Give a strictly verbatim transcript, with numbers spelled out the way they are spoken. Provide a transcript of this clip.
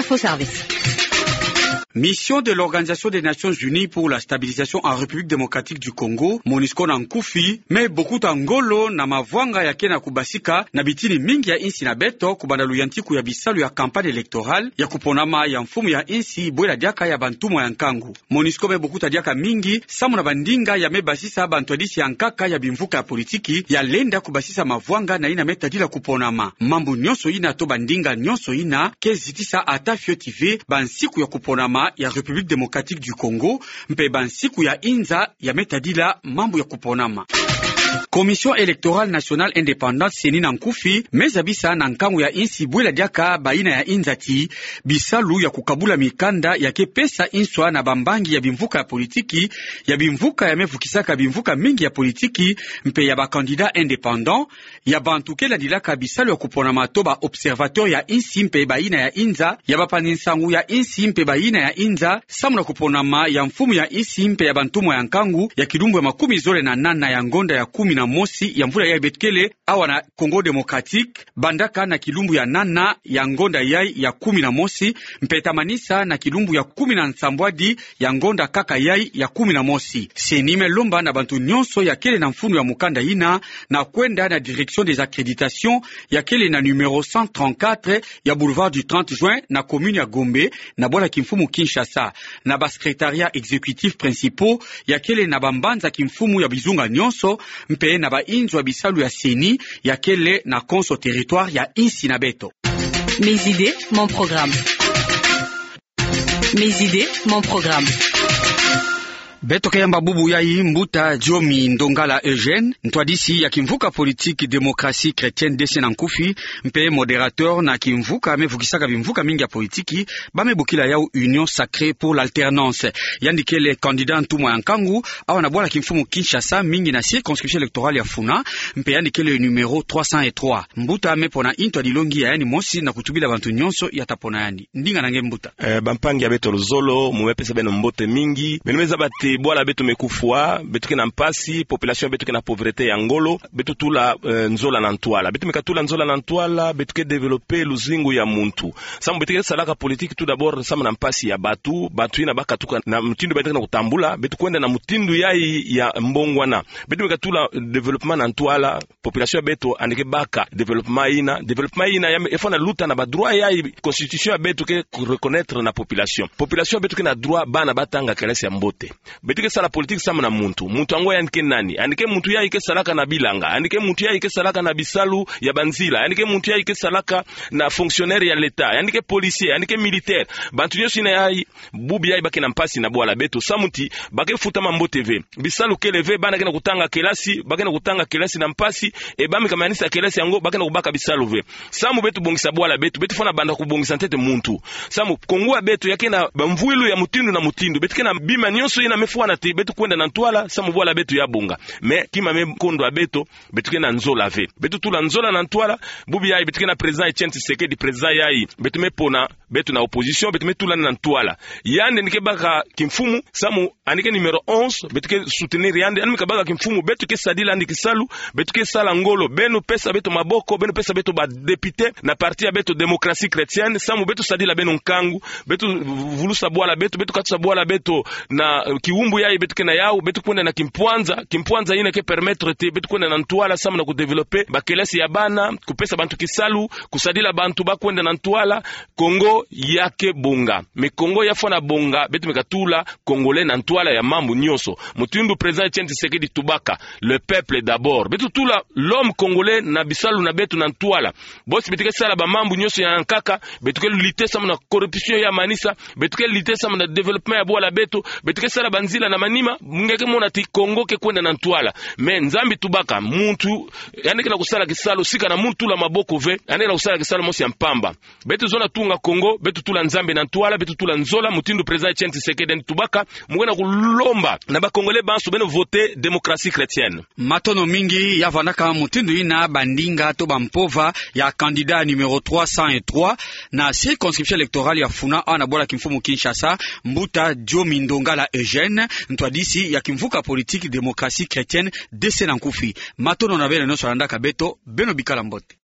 Faux service. Mission de l'Organisation des Nations Unies pour la Stabilisation en République Démocratique du Congo, MONUSCO na nkufi, me bokuta ngolo na mavwanga ya ke na kubasika na bitini mingi ya insi na beto, kubanda luyantiku ya bisalu ya campagne électorale ya kuponama ya mfumu ya insi bwela diaka ya bantumwa ya nkangu. MONUSCO me bokuta diaka mingi samu na bandinga ya me basisa bantwadisi ya nkaka ya bimvuka ya politiki ya lenda kubasisa mavwanga na yina me tadila kuponama. Mambu nyonso yina to bandinga nyonso yina ke zitisa ata fioti ve bansiku ya kuponama ya République Démocratique du Congo, mpe bansiku ya inza ya me tadila mambu ya kuponama. Commission électorale nationale indépendante, CENI na nkufi, me zabisa na nkangu ya insi bwela diaka bayina ya inza ti bisalu ya kukabula mikanda ya ke pesa inswa na bambangi ya bimvuka ya politiki, ya bimvuka ya me vukisaka bimvuka mingi ya politiki, mpe ya ba candidats indépendants, ya bantu ke landilaka bisalu ya kuponama to ba observateurs ya insi mpe bayina ya inza, ya bapanzi nsangu ya insi mpe bayina ya inza, samu na kuponama ya mfumu ya insi mpe ya bantumwa ya nkangu ya kilumbu ya makumi zole na nana ya ngonda ya kumi na mosi ya mvula yayi beto kele awa na Congo Démocratique, bandaka na kilumbu ya nana ya ngonda yayi ya kumi na mosi, mpe tamanisa na kilumbu ya kumi na nsambwadi ya ngonda kaka yayi ya kumi na mosi. CENI me lomba na bantu nyonso ya kele na mfunu ya mukanda yina na kwenda na direction des accréditations ya kele na numéro cent trente-quatre ya boulevard du trente juin na commune ya Gombe, na bwala kimfumu Kinshasa, na ba secrétariats exécutifs principaux ya kele na bambanza kimfumu ya bizunga nyonso, mpe na bainzo ya bisalu ya CENI ya kele na konso territoire ya insi na beto. Mes idées, mon programme. Mes idées, mon programme. Beto ke yamba bubu yayi mbuta Diomi Ndongala Eugène, ntwadisi ya kimvuka politique Démocratie Chrétienne, DC na nkufi, mpe modérateur na kimvuka me vukisaka bimvuka mingi ya politiki, ba me bokila yawu Union Sacrée pour l'Alternance. Yandi kele candidat ntumwa ya nkangu awa na bwala kimfumu Kinshasa, mingi na circonscription électorale ya Funa, mpe yandi kele numéro trois cent et trois. Mbuta me pona intwadilongi ya yandi mosi na kutubila bantu nyonso ya ta pona yandi. Ndinga na nge mbuta. Eh, bampangi ya beto luzolo, mu me pesa beno mbote mingi. Beno me zaba ti bwala beto me kufwa, beto ke na mpasi, population beto ke na pauvreté ya ngolo, beto tula, eh, nzola na ntwala. Beto me katula nzola na ntwala, beto ke développer luzingu ya muntu. Samu beto ke salaka politique tout d'abord samu na mpasi ya batu, batu yina ba katuka na mutindu beto ke na kutambula, beto kwenda na mutindu yayi ya mbongwana. Beto me katula développement na ntwala, population ya beto yandi ke baka développement yina. Développement yina ya me, il faut na luta na ba droit yayi constitution ya beto ke reconnaître na population. Population ya beto ke na droit bana ba tanga kelasi ya mbote. Beto ke sala politique samu na muntu. Muntu yango yandi ke nani? Yandi ke muntu yayi ke salaka na bilanga. Yandi ke muntu yayi ke salaka na bisalu ya banzila. Yandi ke muntu yayi ke salaka na fonctionnaire ya l'État. Yandi ke policier. Yandi ke militaire. Bantu nyonso yina yayi, bubu yayi ba ke na mpasi na bwala beto. Samu ti ba ke futama mbote ve. Bisalu kele ve, bana ke na kutanga kelasi, ba ke na kutanga kelasi na mpasi, e ba me kamanisa kelasi yango, ba ke na kubaka bisalu ve. Samu beto bongisa bwala beto, beto fwana banda kubongisa ntete muntu. Samu Kongo ya beto ya ke na bamvwilu ya mutindu na mutindu. Beto ke na bima nyonso yina me fwana ti beto kwenda na ntwala, samu bwala beto ya bonga. Mais kima me kondo ya beto, beto ke na nzola ve. Beto tula nzola na ntwala, bubu yayi beto ke na président Etienne Tshisekedi, président yayi beto me pona, beto na opposition, beto me tula yandi na ntwala. Yandi yandi ke baka kimfumu, samu yandi ke numéro onze, beto ke soutenir yandi, yandi me kabaka kimfumu, beto ke sadila yandi kisalu, beto ke sala ngolo, beno pesa beto maboko, beno pesa beto ba député na parti ya beto Démocratie Chrétienne, samu beto sadila beno nkangu, beto vulusa bwala beto, beto katusa bwala beto na, eh, kiwumbu yayi beto ke na yawu, beto kwenda na kimpwanza, kimpwanza yina ke permettre ti beto kwenda na ntwala samu na kudévelopper bakelasi ya bana, kupesa bantu kisalu, kusadila bantu ba kwenda na ntwala. Kongo ya ke bonga. Mais Kongo ya fwana bonga, beto me katula Congolais na ntwala ya mambu nyonso. Mutindu président Etienne Tshisekedi tubaka, le peuple d'abord. Beto tula l'homme congolais na bisalu na beto na ntwala. Bosi beto ke sala bamambu nyonso ya nkaka, beto ke lutter samu na corruption ya manisa, beto ke lutter samu na développement ya bwala beto, beto ke sala banzila na manima, nge ke mona ti Kongo ke kwenda na ntwala. Mais Nzambi tubaka, muntu yandi ke na kusala kisalu sika na muntu tula maboko ve, yandi ke na kusala kisalu mosi ya mpamba. Beto zonza tunga Kongo, beto tula Nzambi na ntwala, beto tula nzola, mutindu président Etienne Tshisekedi yandi tubaka, mu ke na kulomba na ba Congolais banso beno voter Démocratie Chrétienne. Matondo mingi. Ya vandaka mutindu yina bandinga to bampova ya candidat numéro trois cent et trois na circonscription électorale ya Funa awa na bwala kimfumu Kinshasa, mbuta Diomi Ndongala Eugène, ntwadisi ya kimvuka politique Démocratie Chrétienne, DC na nkufi. Matondo na beno nyonso landaka beto, beno bikala mbote.